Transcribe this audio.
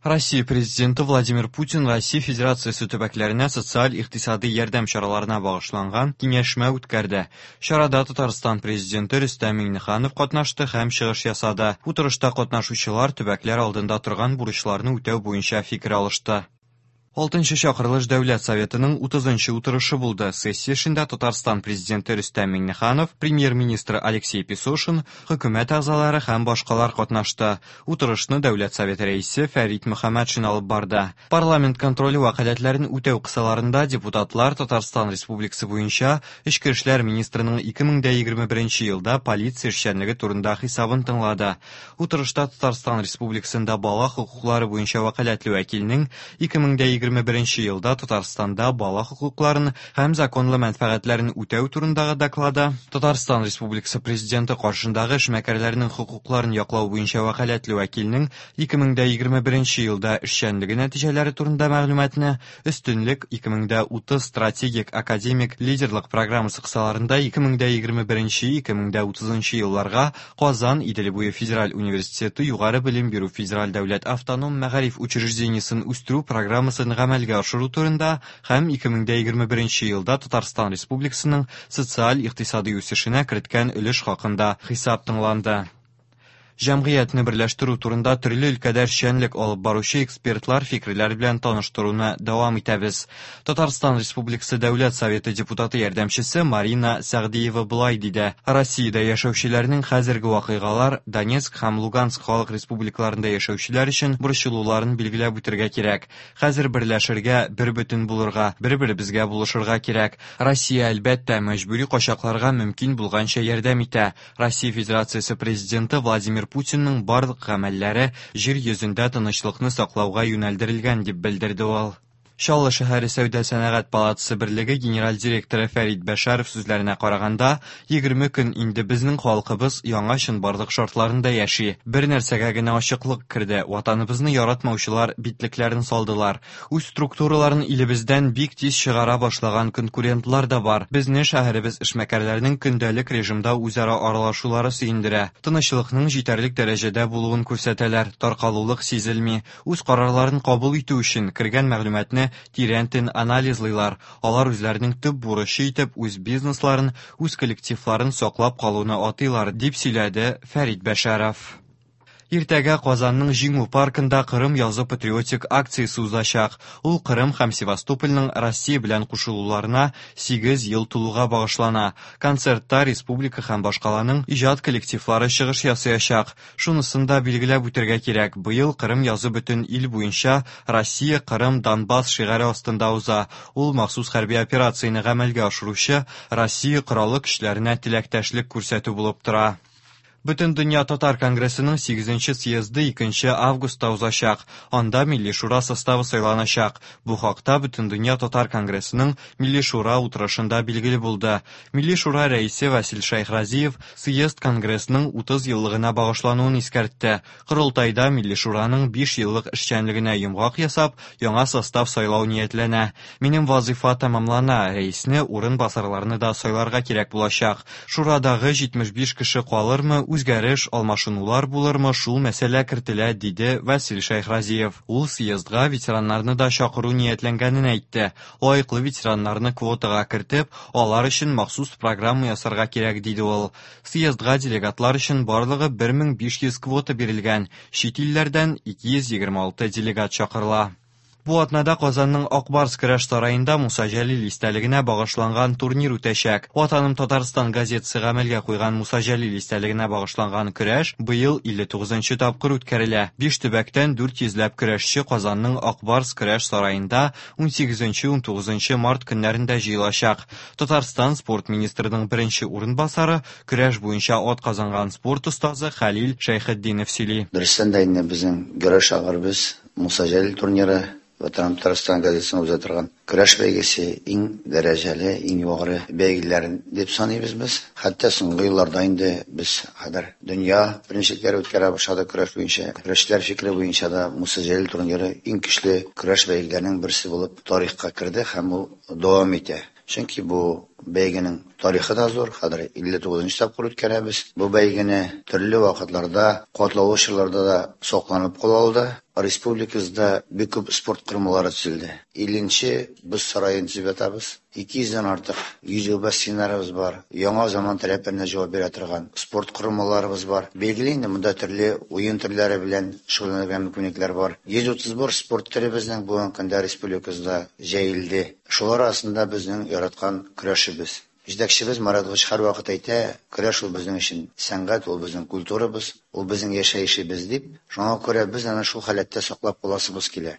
Россия Президенты Владимир Путин Россия Федерациясе төбәкләренә социаль-икътисадый ярдәм чараларына багышланган киңәшмә үткәрде. Чарада Татарстан Президенты Рөстәм Миңнеханов катнашты һәм чыгыш ясады. Утырышта катнашучылар төбәкләр алдында торган бурычларны үтәү буенча фикер алышты. Алтынчы чакырылыш Дәүләт Советының 30 утырышы булды. Сессия эшендә Татарстан Президенты Рөстәм Миңнеханов, Премьер-министры Алексей Песошин, хөкүмәт әгъзалары һәм башкалар катнашты. Утырышны Дәүләт Советы рәисе Фәрит Мөхәммәтшин алып барды. Парламент контроле вәкаләтләрен үтәү кысаларында депутатлар Татарстан Республикасы буенча Эчке эшләр министрының 2021 елда полиция эшчәнлеге турында хисабын тыңлады. Утырышта Татарстан Республикасында бала хокуклары буенча вәкаләтле вәкилнең 2021 елда Татарстанда бала хокукларын һәм законлы мәнфәгатьләрен үтәү турындагы доклады, Татарстан Республикасы Президенты каршындагы эшмәкәрләрнең хокукларын яклау буенча вәкаләтле вәкилнең 2021 елда эшчәнлеге нәтиҗәләре турында мәгълүматны, Өстенлек 2030 стратегик академик лидерлык программасы кысаларында 2021-2030 елларга Казан Идел буе федераль университеты югары белем бирү федераль дәүләт автоном мәгариф учреждениесен үстерү программасын гамәлгә ашыру турында һәм 2021 елда Татарстан Республикасының социаль-икътисадый үсешенә керткән өлеш хакында хисап тыңланды. Җәмгыятьне берләштерү турында төрле өлкәдә эшчәнлек алып баручы экспертлар фикерләре белән таныштыруны дәвам итәбез. Татарстан Республикасы Дәүләт Советы депутаты ярдәмчесе Марина Сәгъдиева болай диде: Россиядә яшәүчеләрнең хәзерге вакыйгалар Донецк һәм Луганск халык республикаларында яшәүчеләр өчен борчылуларын билгеләп үтергә кирәк. Хәзер берләшергә, бербөтен булырга, бер-беребезгә булышырга кирәк. Россия, әлбәттә, мәҗбүри качакларга мөмкин булганча ярдәм итә. Россия Федерациясе Президенты Владимир Путинның барлык гамәлләре җир йөзендә тынычлыкны саклауга юнәлдерелгән, дип белдерде ул. Чаллы шәһәре Сәүдә-сәнәгать палатасы берлеге генераль директоры Фәрит Бәшәров сүзләренә караганда, 20 көн инде безнең халкыбыз яңа чынбарлык шартларында яши. Бер нәрсәгә генә ачыклык керде, ватаныбызны яратмаучылар битлекләрен салдылар. Үз структураларын илебездән бик тиз чыгара башлаган конкурентлар да бар. Безне шәһәребез эшмәкәрләренең көндәлек режимда үзара аралашулары сөендерә. Тынычлыкның җитәрлек дәрәҗәдә булуын күрсәтәләр, таркалулык сизелми. Үз карарларын кабул итү өчен кергән мәгълүматны тирәнтен анализлыйлар. Алар үзләренең төп бурычы итеп үз бизнесларын, үз коллективларын саклап калуны атыйлар, дип сөйләде Фәрит Бәшәров. Иртәгә Казанның Җиңү паркында Кырым язы патриотик акциясе узачак. Ул Кырым һәм Севастопольның Россия белән кушылуларына 8 ел тулуга багышлана. Концертта республика һәм башкаланың иҗат коллективлары чыгыш ясаячак. Шунысын да билгеләп үтәргә кирәк, быел Кырым язы бөтен ил буенча Россия, Кырым, Донбасс шигаре астында уза. Ул махсус хәрби операцияне гамәлгә ашыручы Россия Кораллы көчләренә теләктәшлек күрсәтү булып тора. Бөтендөнья татар конгрессының 8 съезды 2 августта узачак. Анда Милли Шура составы сайланачак. Бу хакта Бөтендөнья татар конгрессының Милли Шура утырышында билгеле булды. Милли Шура рәисе Васил Шәйхразиев съезд конгрессның 30 еллыгына багышлануын искәртте. Корылтайда Милли Шураның 5 еллык эшчәнлегенә йомгак ясап, яңа состав сайлау ниятләнә. Минем вазыйфа тәмамлана, рәисне, урынбасарларны да сайларга кирәк булачак. Шурадагы 75 кеше калырмы, үзгәреш, алмашынулар булырмы, шул мәсьәлә кертелә, диде Васил Шәйхразиев. Ул съездга ветераннарны да чакыру ниятләнгәнен әйтте. Лаеклы ветераннарны квотага кертеп, алар өчен махсус программа ясарга кирәк, диде ул. Съездга делегатлар өчен барлыгы 1500 квота бирелгән, чит илләрдән 226 делегат чакырыла. Бу атнада Казанның Ак Барс көрәш сараенда Муса Җәлил истәлегенә багышланган турнир үтәчәк. Ватаным Татарстан газетасы гамәлгә куйган Муса Җәлил истәлегенә багышланган көрәш быел 59 тапкыр үткәрелә. Биш төбәктән 400 ләп көрәшче Казанның Ак Барс көрәш сараенда 18-19 март көннәрендә җыелачак. Татарстан спорт министрының беренче урынбасары, көрәш буенча ат казанган спорт остазы Хәлил Шәйхетдинов сөйли. Дөрестән дә инде безнең көрәш шагыйребез Муса Җәлил турниры, Ватаным Татарстан газетасында уза торган көрәш бәйгесе иң дәрәҗәле, иң югары бәйгеләр дип саныйбыз без. Хәтта соңгы елларда инде без хәзер дөнья беренчелекләре үткәрә башладык көрәш буенча. Көрәшчеләр фикере буенча да Муса Җәлил турниры иң көчле көрәш бәйгеләренең берсе булып тарихка керде һәм ул дәвам итә. Чөнки бу бәйгенең тарихы да зур, хәзер 59 нчы тапкыр үткәрәбез. Бу бәйгене төрле вакытларда, катлаулы чорларда да сакланып кала алды. Республикабызда бик күп спорт корылмалары төзелде. 50 нче боз сараен төзеп ятабыз. 200 дән артык йөзү бассейннарыбыз бар. Яңа заман таләпләренә җавап бирә торган спорт корылмаларыбыз бар. Билгеле инде, монда төрле уен төрләре белән шөгыльләнергә мөмкинлекләр бар. 131 спорт төре безнең бүгенге көндә республикабызда җәелде. Шулар арасында безнең яраткан көрәшебез. Җитәкчебез Марат Гыч һәрвакыт әйтә, көрәш ул безнең өчен сәнгать, ул безнең культурабыз, ул безнең яшәешебез дип. Шуңа күрә без аны шул халәттә саклап каласыбыз килә.